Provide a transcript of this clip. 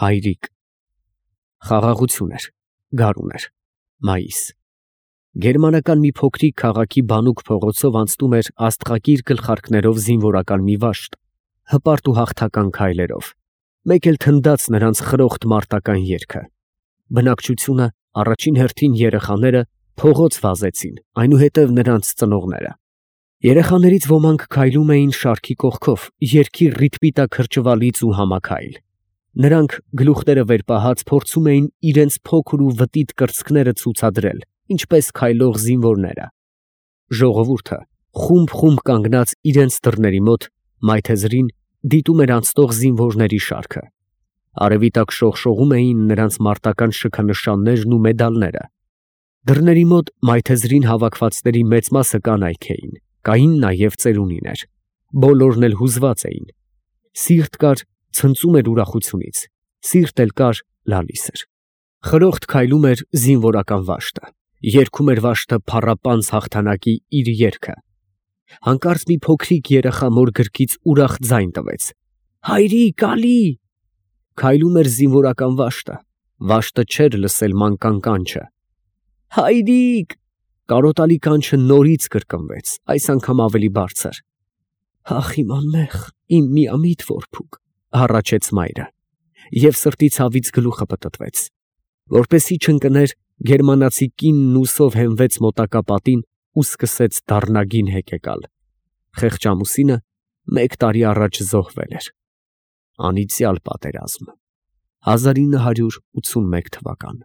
Հայրիկ։ Խաղաղություն էր, գարուն էր, մայիս։ Գերմանական մի փոքրիկ քաղաքի բանուկ փողոցով անցնում էր աստղակիր գլխարկներով զինվորական մի վաշտ, հպարտ ու հաղթական քայլերով, մեկ էլ թնդաց նրանց խրոխտ մարտական երգը։ Բնակչությունը, առաջին հերթին երեխաները, փողոց վազեցին, այնուհետև նրանց ծնողները։ Երեխաներից ոմանք քայլում էին շարքի կողքով, երգի ռիթմի տակ հրճվալից ու համաքայլ։ Նրանք գլուխները վեր պահած փորձում էին իրենց փոքր ու վտիտ կրծքները ցուցադրել, ինչպես քայլող զինվորները։ Ժողովուրդը խումբ կանգնած իրենց դռների մոտ մայթեզրին դիտում էր անցնող զինվորների շարքը։ Արևի տակ շողշողում էին նրանց մարտական շքանշաններն ու մեդալները։ Դռների մոտ մայթեզրին հավաքվածների մեծ մասը կանայք էին, կային նաև ծերունիներ։ Բոլորն էլ հուզված էին։ Սիրտ կար, ցնծում էր ուրախությունից, սիրտ էլ կար, լալիս էր։ Խրոխտ քայլում էր զինվորական վաշտը, երգում էր վաշտը փառապանծ հաղթանակի իր երգը։ Հանկարծ մի փոքրիկ երեխա մոր գրկից ուրախ ձայն տվեց. «Հայրիկ, ալի»։ Քայլում էր զինվորական վաշտը չէր լսել մանկան կանչը։ «Հայրիկ»։ Կարոտալի կանչը նորից կրկնվեց, այս անգամ ավելի բարձր։ «Ախ, իմ անմեղ, իմ միամիտ որբուք», հառաչեց մայրը, և սրտի ցավից գլուխը պտտվեց։ Որպեսզի չընկներ, գերմանացի կինն ուսով հենվեց մոտակա պատին ու սկսեց դառնագին հեկեկալ։ Խեղճ ամուսինը մեկ տարի առաջ զոհվել էր։ Անիծյալ պատերազմ։ 1981 թվական։